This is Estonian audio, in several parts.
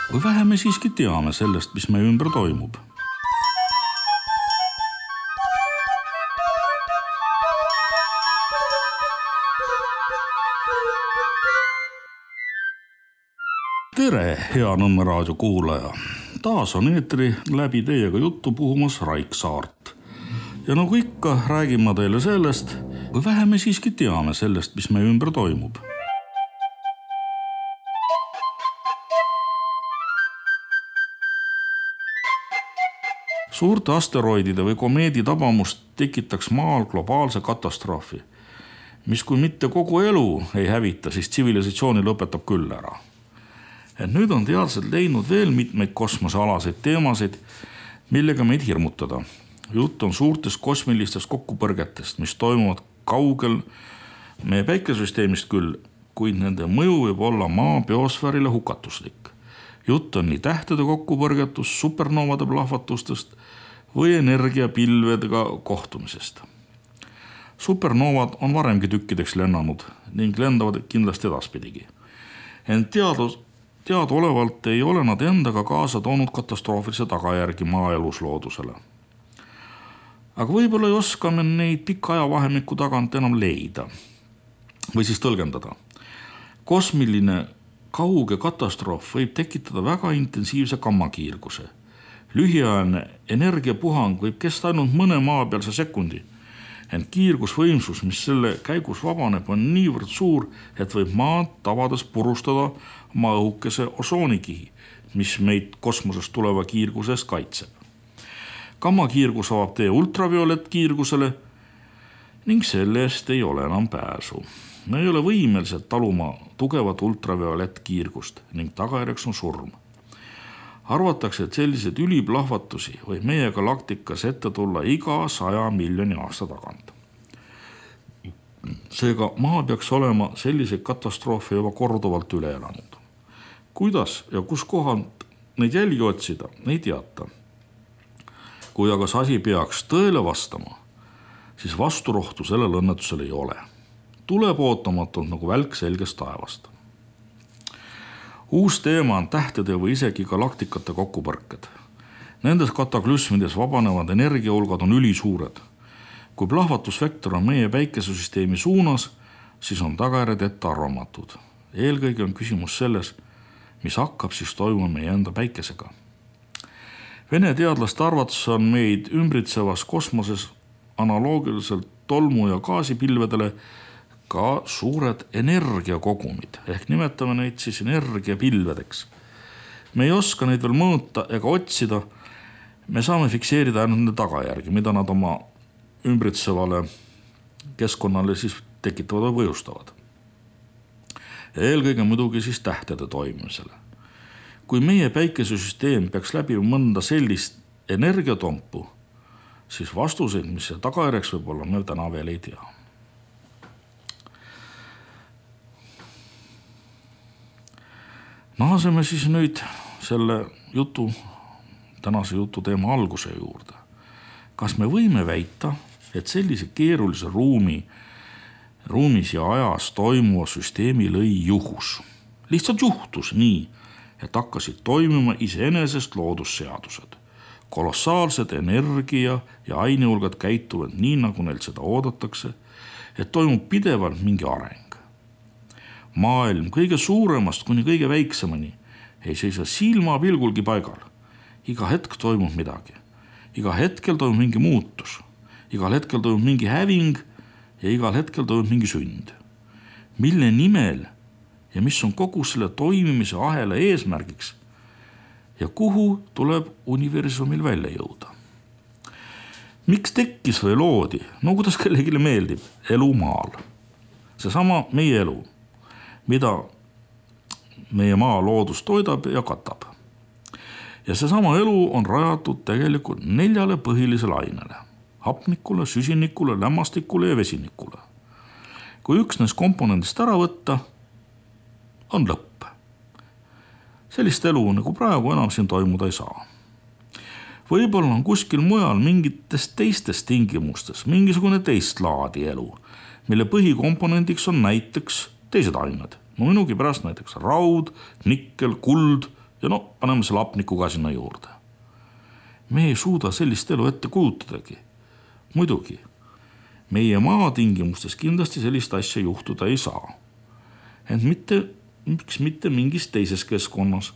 Või vähe me siiski teame sellest, mis meie ümber toimub. Tere, hea Nõmme raadio kuulaja! Taas on eetri läbi teiega juttu puhumas Raik Saart. Ja nagu ikka, räägin ma teile sellest, või vähe me siiski teame sellest, mis meie ümber toimub. Suurte asteroidide või komeedi tabamust tekitaks maal globaalse katastroofi, mis kui mitte kogu elu ei hävita, siis tsivilisatsiooni lõpetab küll ära. Et nüüd on teadlased leidnud veel mitmeid kosmosealaseid teemasid, millega meid hirmutada. Jutt on suurtest kosmilistest kokkupõrgetest, mis toimuvad kaugel meie päikesüsteemist küll, kuid nende mõju võib olla maa biosfäärile hukatuslik. Jutt on nii tähtede kokkupõrgetust, supernoovade plahvatustest või energiapilvedega kohtumisest. Supernoovad on varemgi tükkideks lennanud ning lendavad kindlasti edaspidigi. Ent teadaolevalt ei ole nad endaga kaasa toonud katastroofilise tagajärgi maa elusloodusele. Aga võib-olla ei oska me neid pika ajavahemiku tagant enam leida või siis tõlgendada. Kosmiline kauge katastroof võib tekitada väga intensiivse gammakiirguse. Lühiajaline energiapuhang võib kesta ainult mõne maapealse sekundi, ent kiirgusvõimsus, mis selle käigus vabaneb, on niivõrd suur, et võib maad tavades purustada maa õhukese osoonikihi, mis meid kosmosest tuleva kiirgusest kaitseb. Gammakiirgus avab tee ultraviolettkiirgusele ning selle eest ei ole enam pääsu. Me ei ole võimelised taluma tugevat ultraviolettkiirgust ning tagajärjeks on surm. Arvatakse, et sellised üliplahvatusi võib meie galaktikas ette tulla iga 100 miljoni aasta tagant. Seega maa peaks olema selliseid katastroofe juba korduvalt üle elanud. Kuidas ja kus kohalt neid jälgi otsida, ei teata. Kui aga see asi peaks tõele vastama, siis vasturohtu sellel õnnetusel ei ole. Tuleb ootamatult nagu välk selgest taevast. Uus teema on tähtede või isegi galaktikate kokkupõrked. Nendes kataklüsmides vabanevad energiahulgad on ülisuured. Kui plahvatusvektor on meie päikesesüsteemi suunas, siis on tagajärjed ettearvamatud. Eelkõige on küsimus selles, mis hakkab siis toimuma meie enda päikesega. Vene teadlaste arvates on meid ümbritsevas kosmoses analoogiliselt tolmu- ja gaasipilvedele ka suured energiakogumid, ehk nimetame neid siis energiapilvedeks. Me ei oska neid veel mõõta ega otsida, me saame fikseerida ainult nende tagajärgi, mida nad oma ümbritsevale keskkonnale siis tekitavad või põhjustavad. Ja eelkõige muidugi siis tähtede toimimisele. Kui meie päikesesüsteem peaks läbi mõnda sellist energiatompu, siis vastuseid, mis see tagajärjeks võib olla, me täna veel ei tea. Naaseme siis nüüd selle tänase jutu teema alguse juurde. Kas me võime väita, et sellise keerulise ruumis ja ajas toimuva süsteemi lõi juhus? Lihtsalt juhtus nii, et hakkasid toimima iseenesest loodusseadused. Kolossaalsed energia ja ainehulgad käituvad nii, nagu neil seda oodatakse, et toimub pidevalt mingi areng. Maailm kõige suuremast kuni kõige väiksemani ei seisa silmapilgulgi paigal. Iga hetk toimub midagi. Iga hetkel toimub mingi muutus. Igal hetkel toimub mingi häving ja igal hetkel toimub mingi sünd. Mille nimel ja mis on kogu selle toimimise ahela eesmärgiks ja kuhu tuleb universumil välja jõuda. Miks tekkis või loodi, no kuidas kellegile meeldib, elu maal. Seesama meie elu, mida meie maa loodus toidab ja katab. Ja seesama elu on rajatud tegelikult 4 põhilisele ainele: hapnikule, süsinikule, lämmastikule ja vesinikule. Kui üks neist komponendist ära võtta, on lõpp. Sellist elu nagu praegu enam siin toimuda ei saa. Võib-olla on kuskil mujal mingites teistes tingimustes mingisugune teist laadi elu, mille põhikomponendiks on näiteks teised ained. No minugi pärast näiteks raud, nikkel, kuld ja paneme selle hapniku ka sinna juurde. Me ei suuda sellist elu ette kujutadagi. Muidugi, meie maa tingimustes kindlasti sellist asja juhtuda ei saa. Ent mitte mingis teises keskkonnas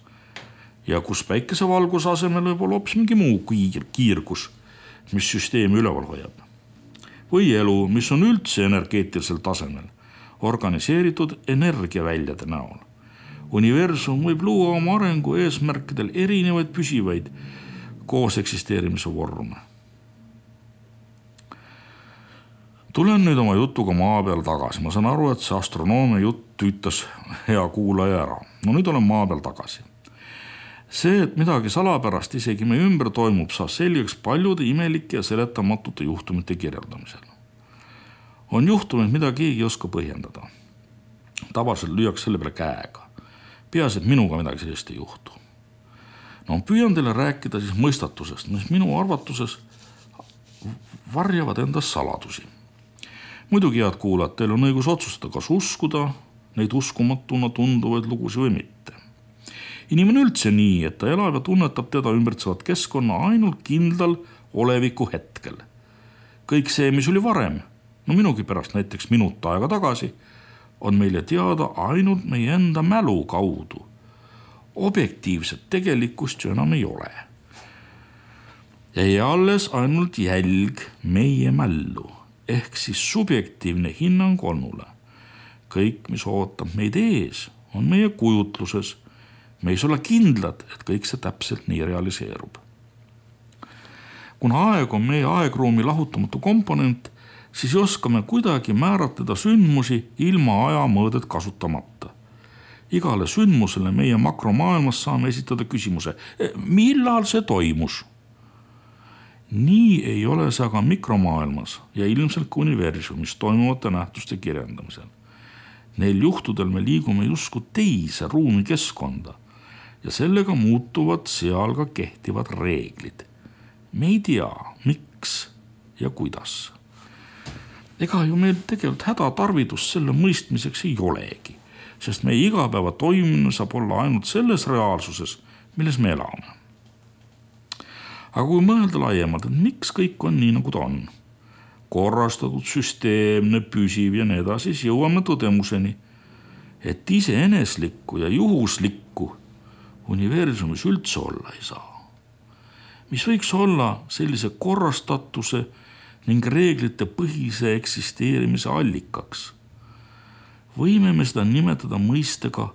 ja kus päikesevalguse asemel võib olla hoopis mingi muu kiirgus, mis süsteemi üleval hoiab. Või elu, mis on üldse energeetilisel tasemel, organiseeritud energiaväljade näol. Universum võib luua oma arengu eesmärkidel erinevaid püsivaid koos eksisteerimise vorme. Tulen nüüd oma jutuga maa peal tagasi. Ma saan aru, et see astronoomia jutt tüütas hea kuulaja ära. Nüüd olen maa peal tagasi. See, et midagi salapärast isegi meie ümber toimub, saab selgeks paljude imelike ja seletamatute juhtumite kirjeldamisel. On juhtumid, mida keegi ei oska põhjendada. Tavaliselt lüüaks selle peale käega. Peaasi, et minuga midagi sellist ei juhtu. Püüan teile rääkida siis mõistatusest, mis minu arvatuses varjavad endas saladusi. Muidugi, head kuulajad, teil on õigus otsustada, kas uskuda neid uskumatuna tunduvaid lugusid või mitte. Inimene üldse nii, et ta elab ja tunnetab teda ümbritsevat keskkonna ainult kindlal oleviku hetkel. Kõik see, mis oli varem, minugi pärast näiteks minut aega tagasi, on meile teada ainult meie enda mälu kaudu. Objektiivset tegelikkust ju enam ei ole. Ja alles ainult jälg meie mällu, ehk siis subjektiivne hinnang olnule. Kõik, mis ootab meid ees, on meie kujutluses. Me ei saa olla kindlad, et kõik see täpselt nii realiseerub. Kuna aeg on meie aegruumi lahutamatu komponent, siis oskame kuidagi määratleda sündmusi ilma ajamõõdet kasutamata. Igale sündmusele meie makromaailmas saame esitada küsimuse, millal see toimus? Nii ei ole see aga mikromaailmas ja ilmselt ka universumis toimuvate nähtuste kirjeldamisel. Neil juhtudel me liigume justkui teise ruumi keskkonda ja sellega muutuvad seal ka kehtivad reeglid. Me ei tea, miks ja kuidas. Ega ju meil tegelikult hädatarvidust selle mõistmiseks ei olegi, sest meie igapäeva toimimine saab olla ainult selles reaalsuses, milles me elame. Aga kui mõelda laiemalt, et miks kõik on nii, nagu ta on, korrastatud, süsteemne, püsiv ja nii edasi, siis jõuame tõdemuseni, et iseeneslikku ja juhuslikku universumis üldse olla ei saa. Mis võiks olla sellise korrastatuse ning reeglite põhise eksisteerimise allikaks? Võime me seda nimetada mõistega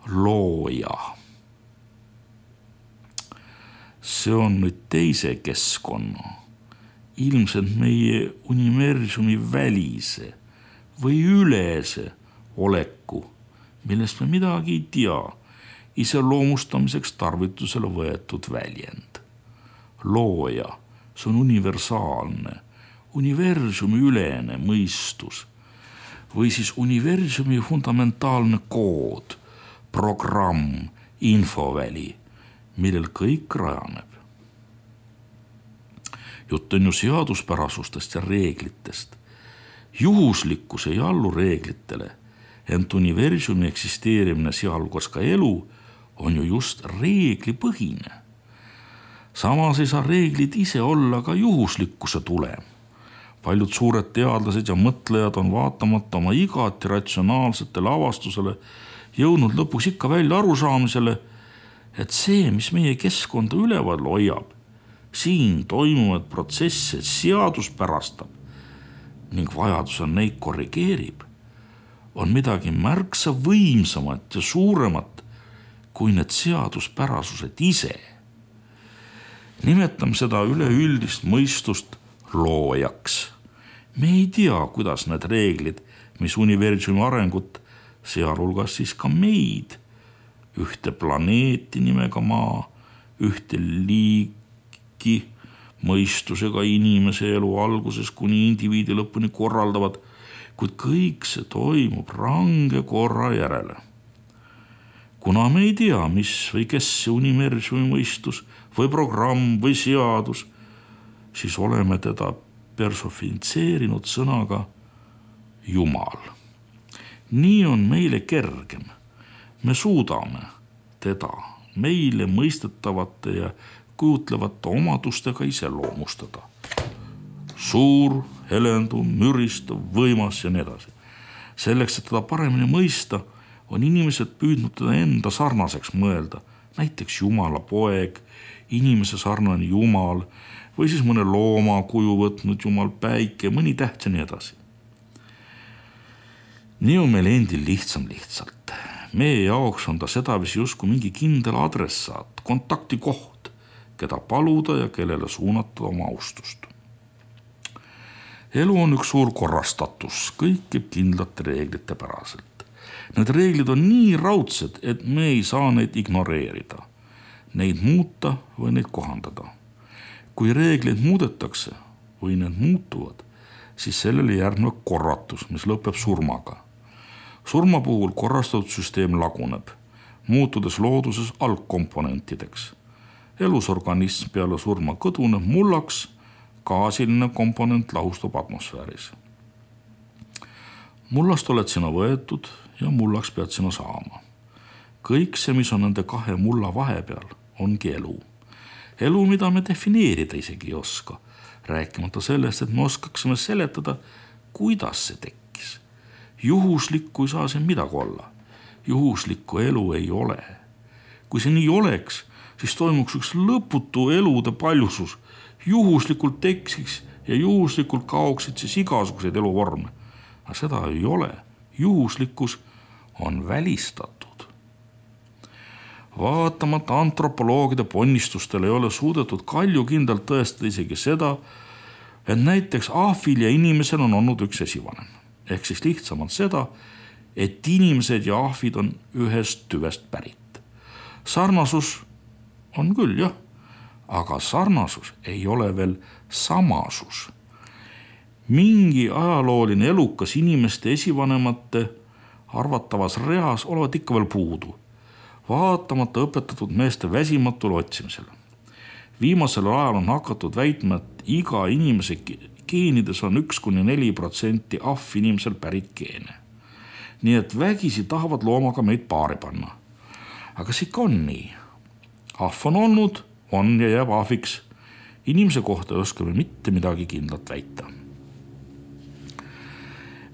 looja. See on nüüd teise keskkonna, ilmselt meie universumi välise või ülese oleku, millest me midagi ei tea, iseloomustamiseks tarvitusele võetud väljend. Looja, see on universaalne, universumi ülene mõistus või siis universumi fundamentaalne kood, programm, infoväli, millel kõik rajaneb. Jutt on ju seaduspärasustest ja reeglitest. Juhuslikkus ei allu reeglitele, ent universumi eksisteerimine, sealhulgas ka elu, on ju just reeglipõhine. Samas ei saa reeglid ise olla ka juhuslikkuse tulem. Paljud suured teadlased ja mõtlejad on vaatamata oma igati ratsionaalsetele avastusele jõudnud lõpuks ikka välja arusaamisele, et see, mis meie keskkonda üleval hoiab, siin toimuvad protsesse seaduspärastab ning vajadusel neid korrigeerib, on midagi märksa võimsamat ja suuremat kui need seaduspärasused ise. Nimetame seda üleüldist mõistust loojaks. Me ei tea, kuidas need reeglid, mis universumi arengut, sealhulgas siis ka meid, ühte planeeti nimega maa, ühte liiki mõistusega inimese elu alguses kuni indiviidi lõpuni korraldavad, kuid kõik see toimub range korra järele. Kuna me ei tea, mis või kes see universumi mõistus või programm või seadus, siis oleme teda persofitseerinud sõnaga Jumal. Nii on meile kergem. Me suudame teda meile mõistetavate ja kujutlevate omadustega iseloomustada. Suur, helenduv, müristav, võimas ja nii edasi. Selleks, et teda paremini mõista, on inimesed püüdnud teda enda sarnaseks mõelda, näiteks Jumala poeg, inimese sarnane Jumal või siis mõne looma kuju võtnud Jumal, päike, mõni täht ja nii edasi. Nii on meil endil lihtsalt. Meie jaoks on ta sedaviisi justkui mingi kindel adressaat, kontaktikoht, keda paluda ja kellele suunata oma austust. Elu on üks suur korrastatus, kõik käib kindlate reeglite päraselt. Need reeglid on nii raudsed, et me ei saa neid ignoreerida, neid muuta või neid kohandada. Kui reegleid muudetakse või need muutuvad, siis sellele järgneb korratus, mis lõpeb surmaga. Surma puhul korrastatud süsteem laguneb, muutudes looduses algkomponentideks. Elusorganism peale surma kõduneb mullaks, gaasiline komponent lahustub atmosfääris. Mullast oled sina võetud ja mullaks pead sina saama. Kõik see, mis on nende kahe mulla vahepeal, ongi elu. Elu, mida me defineerida isegi ei oska, rääkimata sellest, et me oskaksime seletada, kuidas see tekkis. Juhuslikku ei saa siin midagi olla. Juhuslikku elu ei ole. Kui see nii oleks, siis toimuks üks lõputu elude paljusus. Juhuslikult teksiks ja juhuslikult kaoksid siis igasuguseid eluvorme. Aga seda ei ole. Juhuslikkus on välistatud. Vaatamata antropoloogide ponnistustele ei ole suudetud kaljukindlalt tõestada isegi seda, et näiteks ahvil ja inimesel on olnud üks esivanem. Ehk siis lihtsamalt seda, et inimesed ja ahvid on ühest tüvest pärit. Sarnasus on küll, jah, aga sarnasus ei ole veel samasus. Mingi ajalooline elukas inimeste esivanemate arvatavas reas olevat ikka veel puudu, vaatamata õpetatud meeste väsimatule otsimisele. Viimasel ajal on hakatud väitma, et iga inimese geenides on 1–4% ahv inimesel pärit geene. Nii et vägisi tahavad loomaga meid paari panna. Aga see ikka on nii. Ahv on olnud, on ja jääb ahviks. Inimese kohta ei oska me mitte midagi kindlat väita.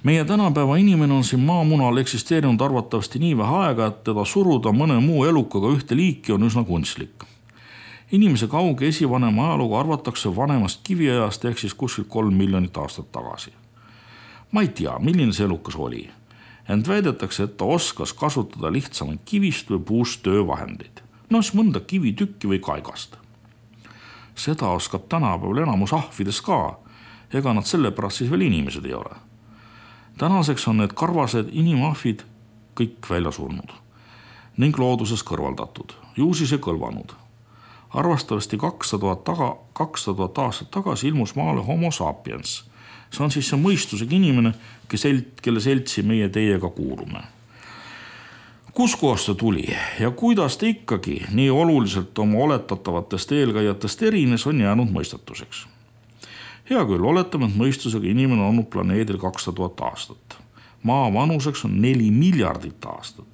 Meie tänapäeva inimene on siin maamunal eksisteerinud arvatavasti nii vähe aega, et teda suruda mõne muu elukaga ühte liiki on üsna kunstlik. Inimese kauge esivanema ajalugu arvatakse vanemast kiviajast ehk siis kuskil 3 miljonit aastat tagasi. Ma ei tea, milline see elukas oli. Ent väidetakse, et ta oskas kasutada lihtsamaid kivist või puust töövahendeid. Siis mõnda kivitükki või kaigast. Seda oskab tänapäeval enamus ahvides ka. Ega nad sellepärast siis veel inimesed ei ole. Tänaseks on need karvased inimahvid kõik välja surnud ning looduses kõrvaldatud, juusis ja kõlvanud. Arvastavasti 200 000 aastat tagasi ilmus maale homo sapiens. See on siis see mõistusega inimene, kelle seltsi meie teiega kuulume. Kus kohast ta tuli ja kuidas ta ikkagi nii oluliselt oma oletatavatest eelkäijatest erines, on jäänud mõistatuseks. Hea küll, oletame, et mõistusega inimene on olnud planeedil 200 000 aastat. Maa vanuseks on 4 miljardit aastat.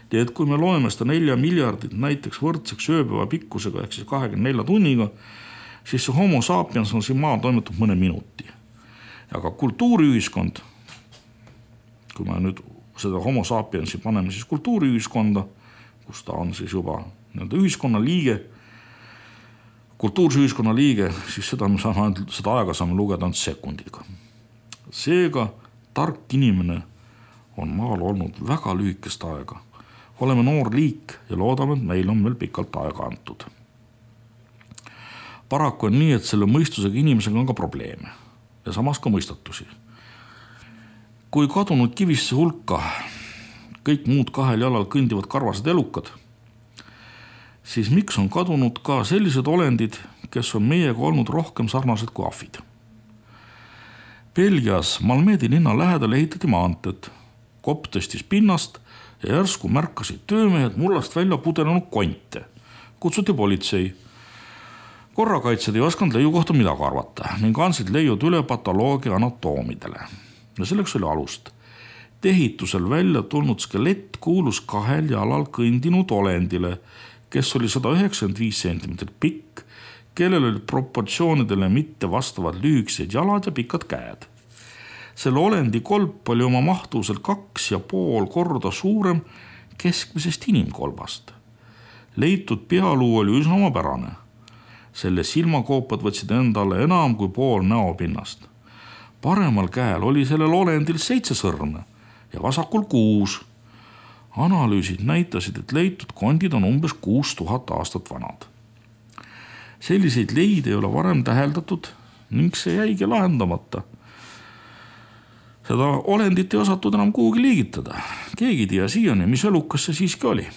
Nii et kui me loeme seda 4 miljardit näiteks võrdseks ööpäeva pikkusega ehk siis 24 tunniga, siis see homo sapiens on siin maa toimetud mõne minuti. Aga kultuuriühiskond, kui me nüüd seda homo sapiensi paneme siis kultuuriühiskonda, kus ta on siis juba ühiskonna liige, kultuurse ühiskonna liige, siis seda aega saame lugeda ainult sekundiga. Seega tark inimene on maal olnud väga lühikest aega. Oleme noor liik ja loodame, et meil on veel pikalt aega antud. Paraku on nii, et selle mõistusega inimesega on ka probleeme ja samas ka mõistatusi. Kui kadunud kivisse hulka kõik muud 2 jalal kõndivad karvased elukad, siis miks on kadunud ka sellised olendid, kes on meiega olnud rohkem sarnased kui ahvid? Belgias Malmedi linna lähedal ehitati maanteed. Kopp tõstis pinnast ja järsku märkasid töömehed mullast välja pudenenud konte. Kutsuti politsei. Korrakaitsjad ei osanud leiu kohta midagi arvata ning andsid leiud üle patoloogia anatoomidele. Ja selleks oli alust. Ehitusel välja tulnud skelett kuulus 2 jalal kõndinud olendile, kes oli 195 sentimeetrit pikk, kellel olid proportsioonidele mitte vastavad lühikesed jalad ja pikad käed. Selle olendi kolp oli oma mahtuselt 2,5 korda suurem keskmisest inimkolbast. Leitud pealuu oli üsna omapärane. Selle silmakoopad võtsid endale enam kui pool näopinnast. Paremal käel oli sellel olendil 7 sõrme ja vasakul 6. Analüüsid näitasid, et leitud kondid on umbes 6000 aastat vanad. Selliseid leide ei ole varem täheldatud ning see jäigi lahendamata. Seda olendit ei osatud enam kuhugi liigitada. Keegi ei tea siiani, mis elukas see siiski oli.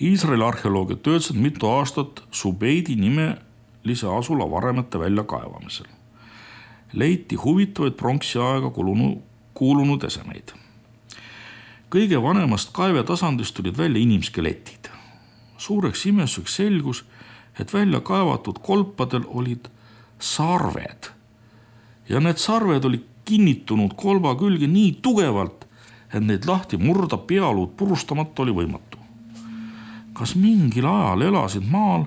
Iisraeli arheoloogid töötasid mitu aastat Subeidi nimelise asula varemete väljakaevamisel. Leiti huvitavaid pronksiaega kuulunud esemeid. Kõige vanemast kaevetasandist tulid välja inimskeletid. Suureks imestuseks selgus, et välja kaevatud kolpadel olid sarved. Ja need sarved olid kinnitunud kolba külge nii tugevalt, et neid lahti murda pealuud purustamata oli võimatu. Kas mingil ajal elasid maal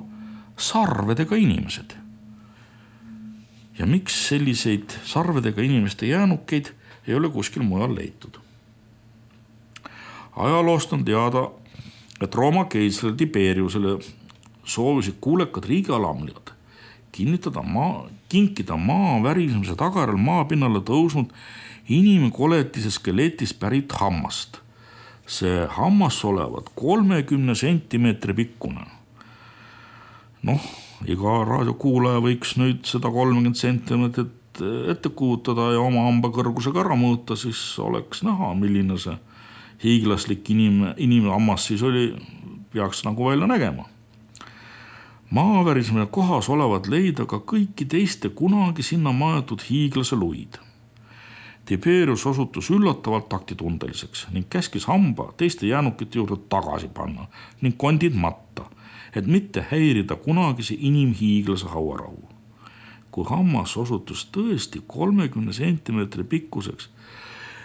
sarvedega inimesed? Ja miks selliseid sarvedega inimeste jäänukeid ei ole kuskil mujal leitud? Ajaloost on teada, et Rooma keisrile Tiberiusele soovisid kuulekad riigialamljad kinkida maa värisemise tagajärjel maapinnale tõusnud inimkoletise skeletist pärit hammast. See hammas olevat 30 sentimeetri pikkune. Iga raadiokuulaja võiks nüüd seda 30 sentimeetrit ette kujutada ja oma hamba kõrgusega ära mõõta, siis oleks näha, milline see hiiglaslik inimhammas siis peaks nagu välja nägema. Maavärismine kohas olevat leida ka kõiki teiste kunagi sinna maetud hiiglase luid. Tiberius osutus üllatavalt taktitundeliseks ning käskis hamba teiste jäänukite juurde tagasi panna ning kondid matta, et mitte häirida kunagise inimhiiglase hauarahu. Kui hammas osutus tõesti 30 sentimeetri pikkuseks,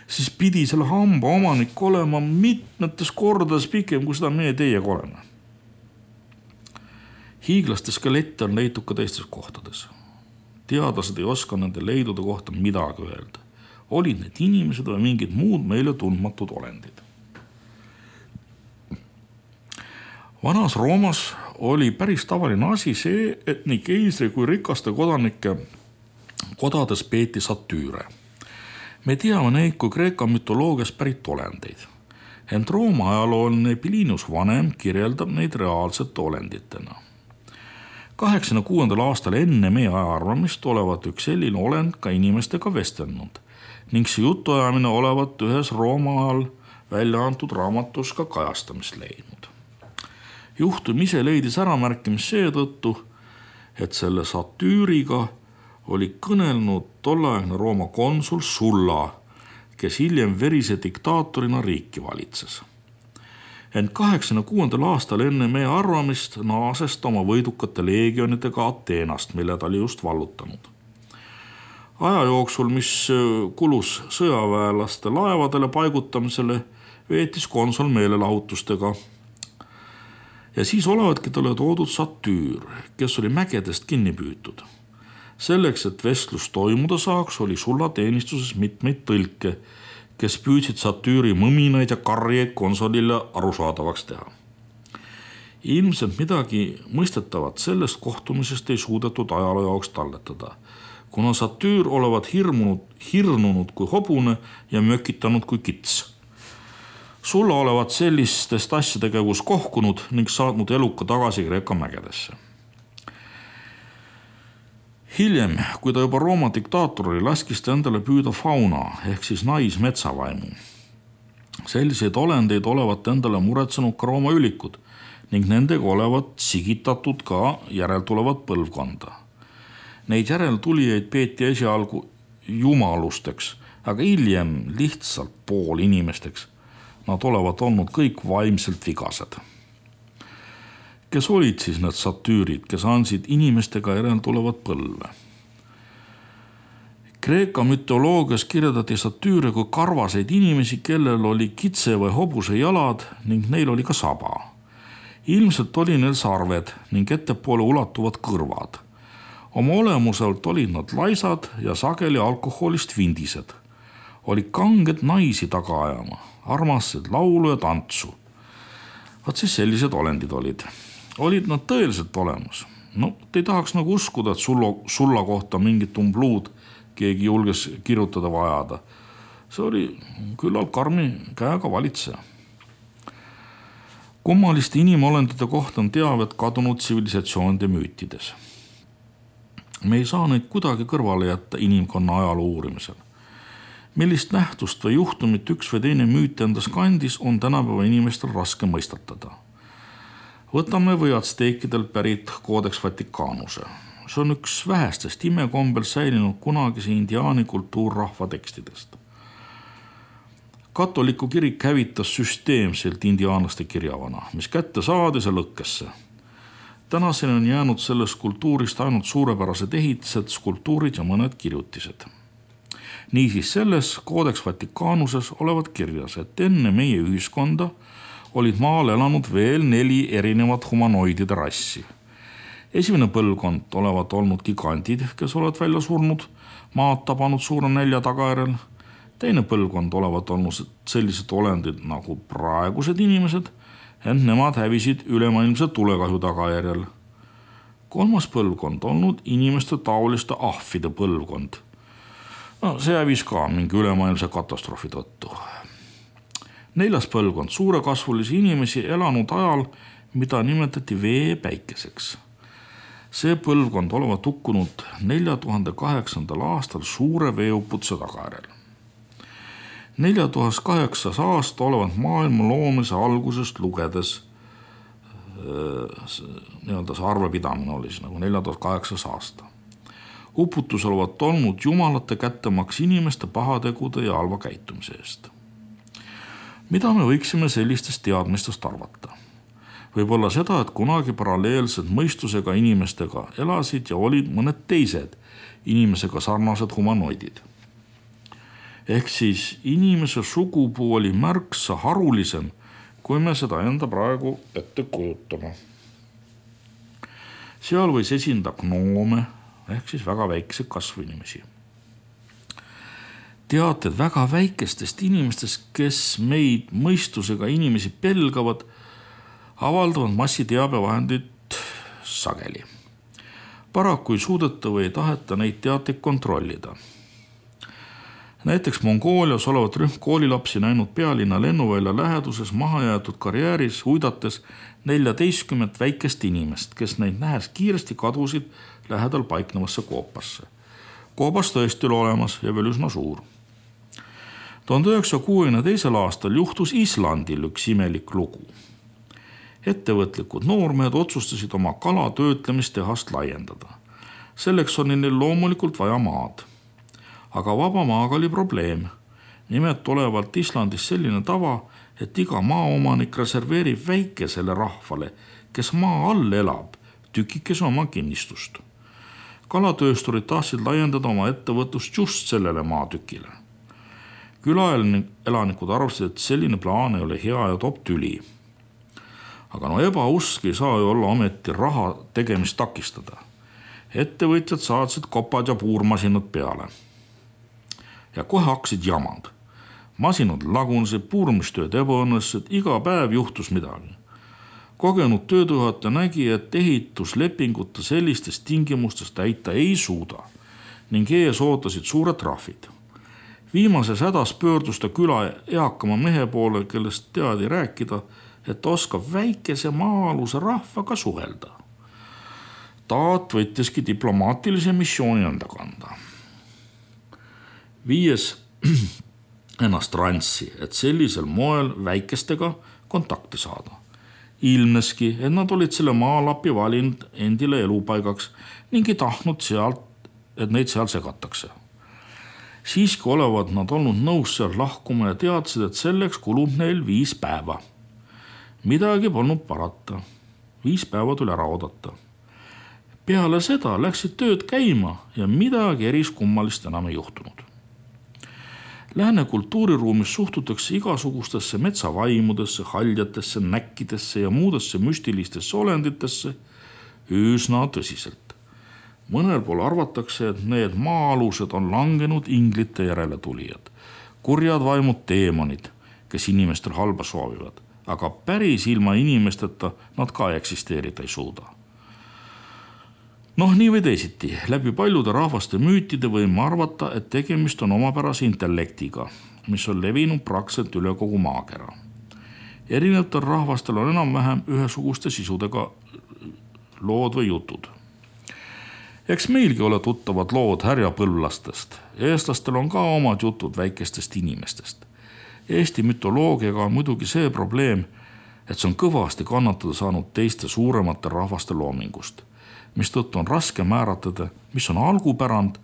siis pidi selle hamba omanik olema mitmetes kordades pikem, kui seda meie teiega oleme. Hiiglaste skelette on leitud ka teistes kohtades. Teadlased ei oska nende leidude kohta midagi öelda. Olid need inimesed või mingid muud meile tundmatud olendid. Vanas Roomas oli päris tavaline asi see, et nii keisri kui rikaste kodanike kodades peeti satüüre. Me teame neid kui Kreeka mütoloogias pärit olendeid. Ent Rooma ajalooline Plinius Vanem kirjeldab neid reaalsete olenditena. 86. aastal enne meie ajaarvamist olevat üks selline olend ka inimestega vestelnud ning see jutuajamine olevat ühes Rooma ajal välja antud raamatus ka kajastamist leidnud. Juhtum ise leidis äramärkimist seetõttu, et selle satüüriga oli kõnelnud tolleaegne Rooma konsul Sulla, kes hiljem verise diktaatorina riiki valitses. Ent 86. aastal enne meie arvamist naases ta oma võidukate leegionidega Ateenast, mille ta oli just vallutanud. Aja jooksul, mis kulus sõjaväelaste laevadele paigutamisele, veetis konsul meelelahutustega. Ja siis olevatki talle toodud satüür, kes oli mägedest kinni püütud. Selleks, et vestlus toimuda saaks, oli Sulla teenistuses mitmeid tõlke, kes püüdsid satüüri mõminaid ja karjeid konsolile arusaadavaks teha. Ilmselt midagi mõistetavat sellest kohtumisest ei suudetud ajaloo jaoks talletada, kuna satüür olevat hirnunud kui hobune ja mökitanud kui kits. Sulla olevat sellistest asjadega kohkunud ning saatnud eluka tagasi Kreeka mägedesse. Hiljem, kui ta juba Rooma diktaator oli, laskis ta endale püüda fauna ehk siis naismetsavaimu. Selliseid olendeid olevat endale muretsenud ka Rooma ülikud ning nendega olevat sigitatud ka järeltulevat põlvkonda. Neid järeltulijaid peeti esialgu jumalusteks, aga hiljem lihtsalt poolinimesteks. Nad olevat olnud kõik vaimselt vigased. Kes olid siis need satüürid, kes andsid inimestega järeltulevat põlve? Kreeka mütoloogias kirjeldati satüüre kui karvaseid inimesi, kellel oli kitse või hobuse jalad ning neil oli ka saba. Ilmselt oli neil sarved ning ettepoole ulatuvad kõrvad. Oma olemuselt olid nad laisad ja sageli alkoholist vindised. Oli kanged naisi taga ajama, armastasid laulu ja tantsu. Vaat siis sellised olendid olid. Olid nad tõeliselt olemas. No, ei tahaks nagu uskuda, et sulla kohta mingit umbluud keegi julges kirjutada või ajada. See oli küllalt karmi käega valitseja. Kummaliste inimolendite kohta on teavet kadunud tsivilisatsioonide müütides. Me ei saa neid kuidagi kõrvale jätta inimkonna ajaloo uurimisel. Millist nähtust või juhtumit üks või teine müüt endas kandis, on tänapäeva inimestel raske mõistatada. Võtame või atsteekidelt pärit Codex Vaticanuse. See on üks vähestest imekombel säilinud kunagise indiaani kultuurrahva tekstidest. Katoliku kirik hävitas süsteemselt indiaanlaste kirjavana, mis kätte saadis ja lõkkesse. Tänaseni on jäänud sellest kultuurist ainult suurepärased ehitised, skulptuurid ja mõned kirjutised. Niisiis selles Codex Vaticanuses olevat kirjas, et enne meie ühiskonda olid maal elanud veel 4 erinevat humanoidide rassi. Esimene põlvkond olevat olnud gigandid, kes olevat välja surnud, maad tabanud suure nälja tagajärjel. Teine põlvkond olevat olnud sellised olendid nagu praegused inimesed, ent nemad hävisid ülemaailmse tulekahju tagajärjel. Kolmas põlvkond olnud inimeste taoliste ahvide põlvkond. No, see hävis ka mingi ülemaailmse katastroofi tõttu. 4. põlvkond suurekasvulisi inimesi elanud ajal, mida nimetati veepäikeseks. See põlvkond olevat hukkunud 4008. aastal suure veeuputuse tagajärjel. 4008. aasta olevat maailma loomise algusest lugedes, see arvepidamine oli siis nagu 4008. aasta. Uputus olevat olnud jumalate kättemaks inimeste pahategude ja halva käitumise eest. Mida me võiksime sellistest teadmistest arvata? Võib-olla seda, et kunagi paralleelselt mõistusega inimestega elasid ja olid mõned teised inimesega sarnased humanoidid. Ehk siis inimese sugupuu oli märksa harulisem, kui me seda enda praegu ette kujutame. Seal võis esinda gnoome, ehk siis väga väikese kasvu inimesi. Teated väga väikestest inimestest, kes meid mõistusega inimesi pelgavad, avaldavad massiteabevahendid sageli. Paraku ei suudeta või ei taheta neid teateid kontrollida. Näiteks Mongoolias olevat rühm koolilapsi näinud pealinna lennuvälja läheduses mahajäetud karjääris uidates 14 väikest inimest, kes neid nähes kiiresti kadusid lähedal paiknevasse koopasse. Koopas tõesti oli olemas ja veel üsna suur. 1962. aastal juhtus Islandil üks imelik lugu. Ettevõtlikud noormehed otsustasid oma kalatöötlemistehast laiendada. Selleks on neil loomulikult vaja maad. Aga vaba maaga oli probleem. Nimelt olevalt Islandis selline tava, et iga maaomanik reserveerib väikesele rahvale, kes maa all elab, tükikese oma kinnistust. Kalatöösturid tahtsid laiendada oma ettevõtlust just sellele maatükile. Külaelanikud arvasid, et selline plaan ei ole hea ja toob tüli. Aga ebausk ei saa ju olla ometi raha tegemist takistada. Ettevõtjad saatsid kopad ja puurmasinad peale. Ja kohe hakkasid jamad. Masinad lagunesid, puurmistööd ebaõnnestusid, iga päev juhtus midagi. Kogenud tööjuhataja nägi, et ehituslepinguta sellistes tingimustes täita ei suuda ning ees ootasid suured trahvid. Viimases hädas pöördus ta küla eakama mehe poole, kellest teadi rääkida, et oskab väikese maa-aluse rahvaga suhelda. Taat võttiski diplomaatilise missiooni enda kanda. Viies ennast rantsi, et sellisel moel väikestega kontakti saada. Ilmneski, et nad olid selle maalapi valinud endile elupaigaks ning ei tahtnud sealt, et neid seal segatakse. Siiski olevat nad olnud nõus seal lahkuma ja teadsid, et selleks kulub neil 5 päeva. Midagi polnud parata. 5 päeva tuli ära oodata. Peale seda läksid tööd käima ja midagi eriskummalist enam ei juhtunud. Lääne kultuuriruumis suhtutakse igasugustesse metsavaimudesse, haljatesse, näkkidesse ja muudesse müstilistesse olenditesse üsna tõsiselt. Mõnel pool arvatakse, et need maa-alused on langenud inglite järele tulijad, kurjad vaimud teemonid, kes inimestel halba soovivad, aga päris ilma inimesteta nad ka eksisteerida ei suuda. Nii või teisiti, läbi paljude rahvaste müütide võime arvata, et tegemist on omapärase intellektiga, mis on levinud praktiliselt üle kogu maakera. Erinevatel rahvastel on enam-vähem ühesuguste sisudega lood või jutud. Eks meilgi ole tuttavad lood härjapõlvlastest. Eestlastel on ka omad jutud väikestest inimestest. Eesti mütoloogiaga on muidugi see probleem, et see on kõvasti kannatada saanud teiste suuremate rahvaste loomingust, mistõttu on raske määratleda, mis on algupärand,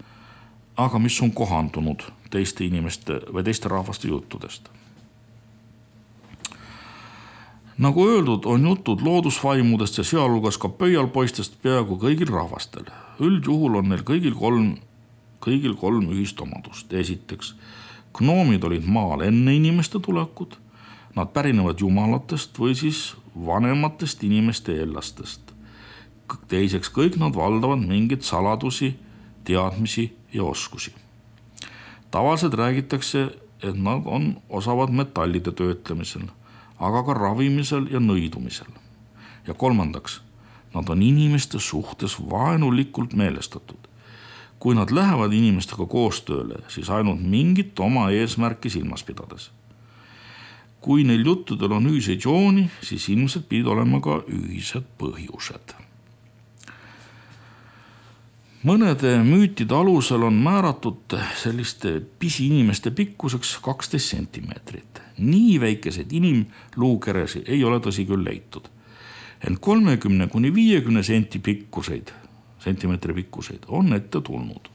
aga mis on kohandunud teiste inimeste või teiste rahvaste juttudest. Nagu öeldud, on jutud loodusvaimudest ja sealhulgas ka pöialpoistest peaaegu kõigil rahvastel. Üldjuhul on neil kõigil kolm ühist omadust. Esiteks, gnoomid olid maal enne inimeste tulekut, nad pärinevad jumalatest või siis vanematest inimeste eellastest. Teiseks, kõik nad valdavad mingeid saladusi, teadmisi ja oskusi. Tavaliselt räägitakse, et nad on osavad metallide töötlemisel, aga ka ravimisel ja nõidumisel. Ja kolmandaks, nad on inimeste suhtes vaenulikult meelestatud. Kui nad lähevad inimestega koostööle, siis ainult mingit oma eesmärki silmas pidades. Kui neil juttudel on ühiseid jooni, siis ilmselt pidid olema ka ühised põhjused. Mõnede müütide alusel on määratud selliste pisiinimeste pikkuseks 12 sentimeetrit. Nii väikeseid inimluukeresi ei ole tõsi küll leitud. Ent 30–50 sentimeetri pikkuseid on ette tulnud.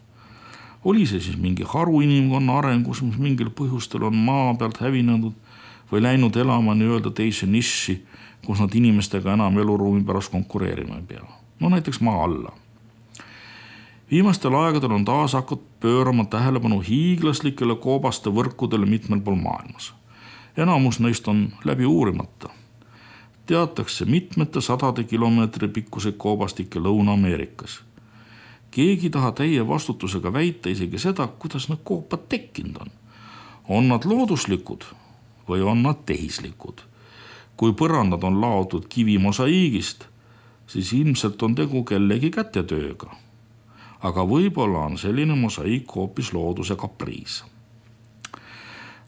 Oli see siis mingi haru inimkonna arengus, mis mingil põhjustel on maa pealt hävinenud või läinud elama nii-öelda teise niši, kus nad inimestega enam eluruumi pärast konkureerima ei pea. Näiteks maa alla. Viimastel aegadel on taas hakanud pöörama tähelepanu hiiglaslikele koobaste võrkudele mitmel pool maailmas. Enamus neist on läbi uurimata. Teatakse mitmete sadade kilomeetri pikkuseid koobastikke Lõuna-Ameerikas. Keegi taha täie vastutusega väita isegi seda, kuidas need koopad tekkinud on. On nad looduslikud või on nad tehislikud? Kui põrandad on laotud kivimosaiigist, siis ilmselt on tegu kellegi kätetööga. Aga võib-olla on selline mosaiik hoopis looduse kapriis.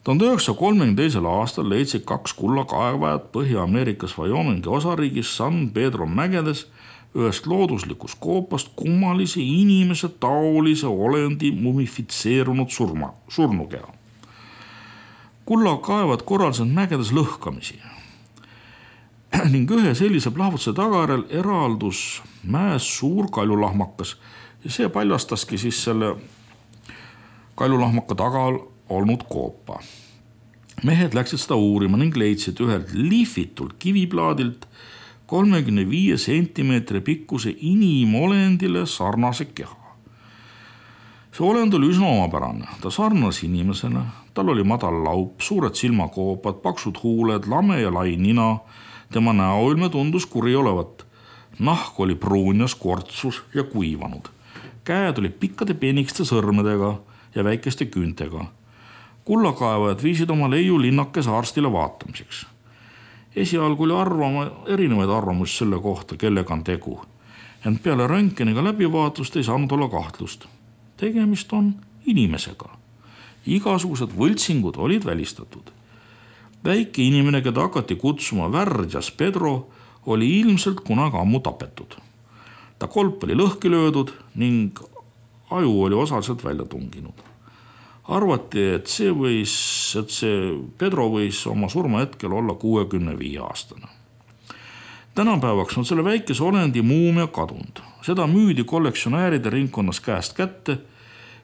1932. aastal leidsid 2 kullakaevajat Põhja-Ameerikas Wyomingi osariigis San Pedro mägedes ühest looduslikust koopast kummalise inimese taolise olendi mumifitseerunud surnukeha. Kullakaevad korraldasid mägedes lõhkamisi ning ühe sellise plahvutuse tagajärjel eraldus mäes suur kaljulahmakas ja see paljastaski siis selle kaljulahmaka taga olnud koopa. Mehed läksid seda uurima ning leidsid ühelt lihvitult kiviplaadilt 35 sentimeetri pikkuse inimolendile sarnase keha. See olend oli üsna omapärane. Ta sarnas inimesele, tal oli madal laup, suured silmakoopad, paksud huuled, lame ja lai nina. Tema näoilme tundus kuri olevat. Nahk oli pruunjas, kortsus ja kuivanud. Käed olid pikkade penikeste sõrmedega ja väikeste küüntega. Kullakaevajad viisid oma leiu linnakese arstile vaatamiseks. Esialgu oli erinevaid arvamusi selle kohta, kellega on tegu. Ent peale röntgeniga läbivaatust ei saanud olla kahtlust. Tegemist on inimesega. Igasugused võltsingud olid välistatud. Väike inimene, keda hakati kutsuma Värjas Pedro, oli ilmselt kunagi ammu tapetud. Ta kolp oli lõhki löödud ning aju oli osaliselt välja tunginud. Arvati, et see Pedro võis oma surma hetkel olla 65 aastane. Tänapäevaks on selle väikese olendi muumia kadunud. Seda müüdi kollektsionääride ringkonnas käest kätte,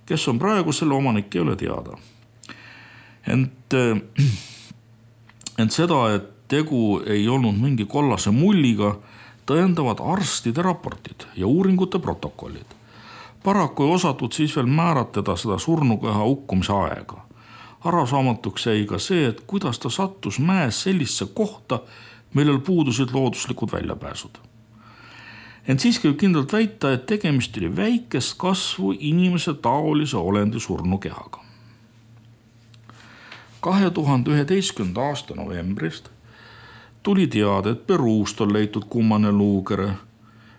kes on praegu selle omanik, ei ole teada. Ent seda, et tegu ei olnud mingi kollase mulliga, tõendavad arstide raportid ja uuringute protokollid. Paraku ei osatud siis veel määratleda seda surnukeha hukkumise aega. Arusaamatuks jäi ka see, et kuidas ta sattus mäes sellisse kohta, millel puudusid looduslikud väljapääsud. Ent siiski võib kindlalt väita, et tegemist oli väikest kasvu inimese taolise olendi surnukehaga. 2011. aasta novembrist tuli teada, et Peruust on leitud kummane luukere,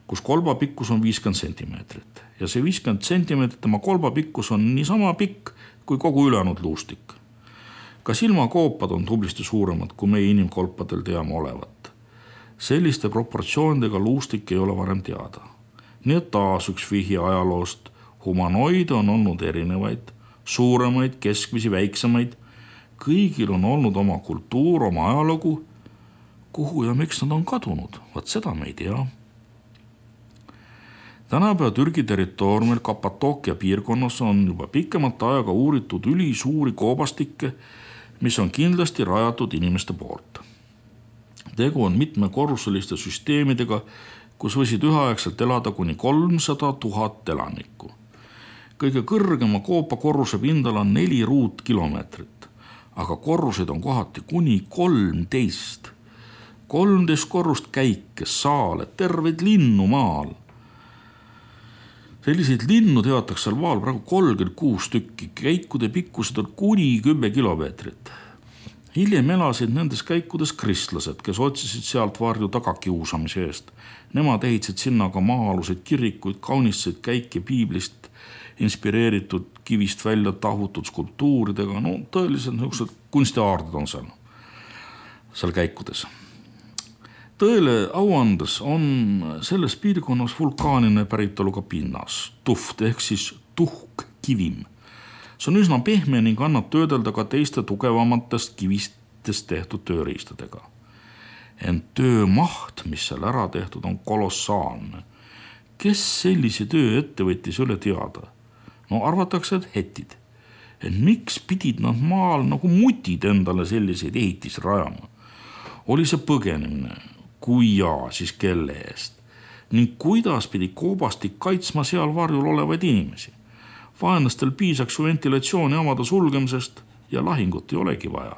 kus kolba pikkus on 50 sentimeetrit ja see 50 sentimeetrit tema kolba pikkus on niisama pikk kui kogu ülejäänud luustik. Ka silmakoopad on tublisti suuremad, kui meie inimkolpadel teame olevat. Selliste proportsioonidega luustik ei ole varem teada. Nii et taas üks vihje ajaloost. Humanoide on olnud erinevaid, suuremaid, keskmisi, väiksemaid. Kõigil on olnud oma kultuur, oma ajalugu. Kuhu ja miks nad on kadunud? Vaat seda me ei tea. Tänapäeva Türgi territooriumil Kapatookia piirkonnas on juba pikemat aega uuritud ülisuuri koobastikke, mis on kindlasti rajatud inimeste poolt. Tegu on mitmekorruseliste süsteemidega, kus võisid üheaegselt elada kuni 300 000 elanikku. Kõige kõrgema koopa korruse pindala on 4 ruutkilomeetrit, aga korruseid on kohati kuni 13. 13 korrust käike, saale, terveid linnu maal. Selliseid linnu teatakse seal maal praegu 36 tükki, käikude pikkused on kuni 10 kilomeetrit. Hiljem elasid nendes käikudes kristlased, kes otsisid sealt varju tagakiusamise eest. Nemad ehitasid sinna ka maa-aluseid kirikuid, kaunistasid käike piiblist inspireeritud kivist välja tahutud skulptuuridega. No tõeliselt niisugused kunstiaardid on seal käikudes. Tõele auandes on selles piirkonnas vulkaanine päritoluga pinnas, tuft ehk siis tuhkkivim. See on üsna pehme ning annab töödelda ka teiste tugevamatest kivistest tehtud tööriistadega. Ent töömaht, mis seal ära tehtud, on kolossaalne. Kes sellise töö ette võttis üle teada? No arvatakse, et hetid. Et miks pidid nad maal nagu mutid endale selliseid ehitisi rajama? Oli see põgenemine? Kui jaa, siis kelle eest? Ning kuidas pidi koobastik kaitsma seal varjul olevaid inimesi? Vaenlastel piisaks ju ventilatsiooni avada sulgemisest ja lahingut ei olegi vaja.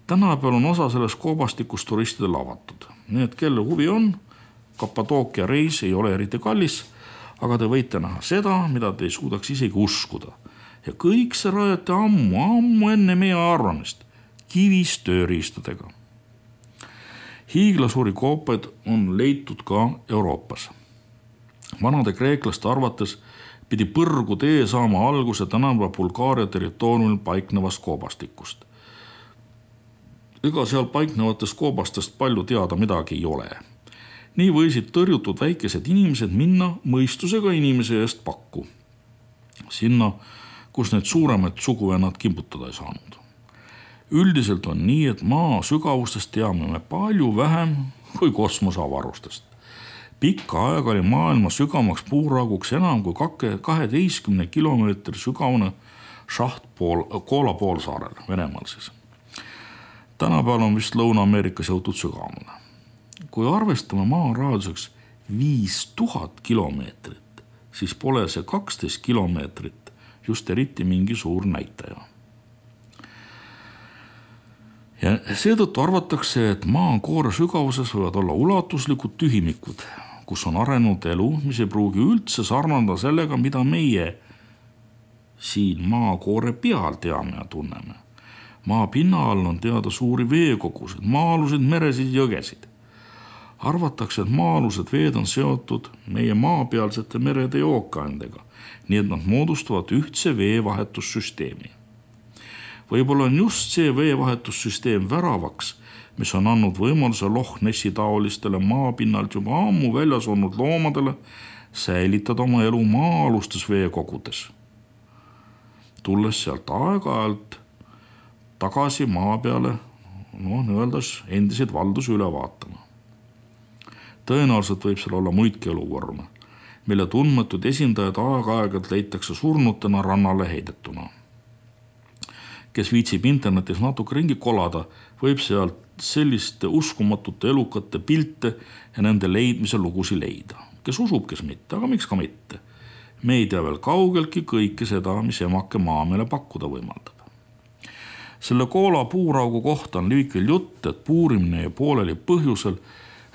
Tänapäeval on osa sellest koobastikust turistidel avatud. Nii et kelle huvi on, Kapatookia reis ei ole eriti kallis, aga te võite näha seda, mida te ei suudaks isegi uskuda. Ja kõik see rajati ammu enne meie arvamist, kivist tööriistadega. Hiiglasuuri koopaid on leitud ka Euroopas. Vanade kreeklaste arvates pidi põrgu tee saama alguse tänapäeva Bulgaaria territooriumil paiknevast koobastikust. Ega seal paiknevatest koobastest palju teada midagi ei ole. Nii võisid tõrjutud väikesed inimesed minna mõistusega inimese eest pakku. Sinna, kus need suuremad suguvennad kimbutada ei saanud. Üldiselt on nii, et maa sügavustest teame me palju vähem kui kosmoseavarustest. Pikka aega oli maailma sügavamaks puurauguks enam kui 12 kilomeetri sügavune šaht Koola poolsaarel, Venemaal siis. Tänapäeval on vist Lõuna-Ameerikas jõutud sügavamale. Kui arvestame maa raadiuseks 5000 kilomeetrit, siis pole see 12 kilomeetrit just eriti mingi suur näitaja. Ja seetõttu arvatakse, et maakoore sügavuses võivad olla ulatuslikud tühimikud, kus on arenenud elu, mis ei pruugi üldse sarnada sellega, mida meie siin maakoore peal teame ja tunneme. Maa pinna all on teada suuri veekogusid, maa-aluseid meresid jõgesid. Arvatakse, et maa-alused veed on seotud meie maapealsete merede ja ookeanidega, nii et nad moodustavad ühtse veevahetussüsteemi. Võib-olla on just see veevahetussüsteem väravaks, mis on andnud võimaluse Loch Nessi taolistele maapinnalt juba ammu väljas olnud loomadele säilitada oma elu maa-alustes veekogudes. Tulles sealt aeg-ajalt tagasi maa peale, endiseid valdusi üle vaatama. Tõenäoliselt võib seal olla muidki eluvorme, mille tundmatud esindajad aeg-aegalt leitakse surnutena rannale heidetuna. Kes viitsib internetis natuke ringi kolada, võib sealt selliste uskumatute elukate pilte ja nende leidmise lugusi leida. Kes usub, kes mitte, aga miks ka mitte. Me ei tea veel kaugeltki kõike seda, mis emake maa meile pakkuda võimaldab. Selle Koola puuraugu kohta on liikvel jutt, et puurimine jäi pooleli põhjusel,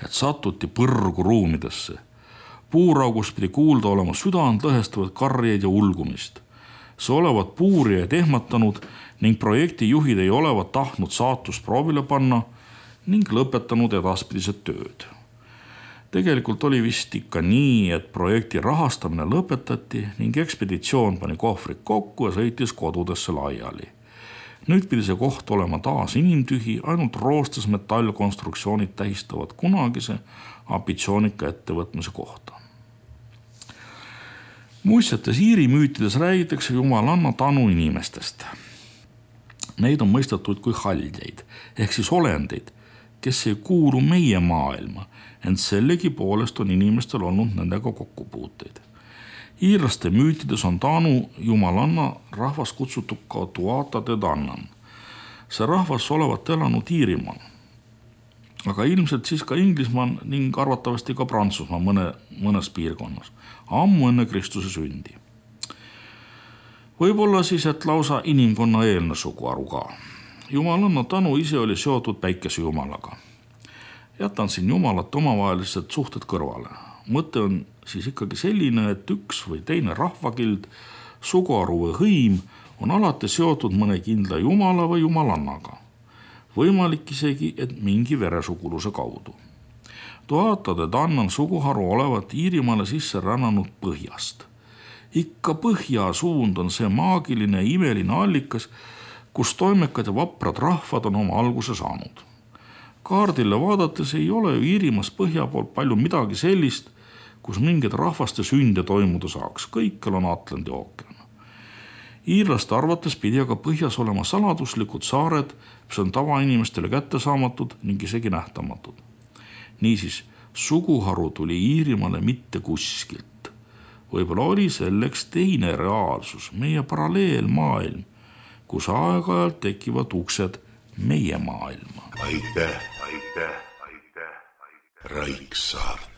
et satuti põrgu ruumidesse. Puuraugus pidi kuulda olema südant lõhestavat karjeid ja ulgumist. See olevat puurijaid ehmatanud ning projekti juhid ei olevat tahtnud saatust proovile panna ning lõpetanud edaspidised tööd. Tegelikult oli vist ikka nii, et projekti rahastamine lõpetati ning ekspeditsioon pani kohvrid kokku ja sõitis kodudesse laiali. Nüüd pidi see koht olema taas inimtühi, ainult roostes metallkonstruktsioonid tähistavad kunagise ambitsioonika ettevõtmise kohta. Muistsetes Iiri müütides räägitakse jumalanna tanu inimestest. Neid on mõistetud kui haldjaid, ehk siis olendeid, kes ei kuulu meie maailma, ent sellegi poolest on inimestel olnud nendega kokkupuuteid. Iirlaste müütides on Taanu jumalanna rahvas kutsutud ka Tuatha Dé Danann. See rahvas olevat elanud Iirimaal, aga ilmselt siis ka Inglismaal ning arvatavasti ka Prantsusmaa mõnes piirkonnas, ammu enne Kristuse sündi. Võib-olla siis, et lausa inimkonna eelne suguharu ka. Jumalanna Tanu ise oli seotud päikesejumalaga. Jätan siin jumalate omavahelised suhted kõrvale. Mõte on siis ikkagi selline, et üks või teine rahvakild, suguharu või hõim on alati seotud mõne kindla jumala või jumalannaga. Võimalik isegi, et mingi veresuguluse kaudu. Tuatha Dé Danann suguharu olevat Iirimaale sisse rännanud põhjast. Ikka põhja suund on see maagiline ja imeline allikas, kus toimekad ja vaprad rahvad on oma alguse saanud. Kaardile vaadates ei ole ju Iirimaas põhja poolt palju midagi sellist, kus mingid rahvaste sünde toimuda saaks. Kõikjal on Atlandi ookean. Iirlaste arvates pidi aga põhjas olema saladuslikud saared, mis on tavainimestele kättesaamatud ning isegi nähtamatud. Niisiis, suguharu tuli Iirimaale mitte kuskilt. Võib-olla oli selleks teine reaalsus, meie paralleelmaailm, kus aeg-ajalt tekivad uksed meie maailma. Aitäh. Raiksaart.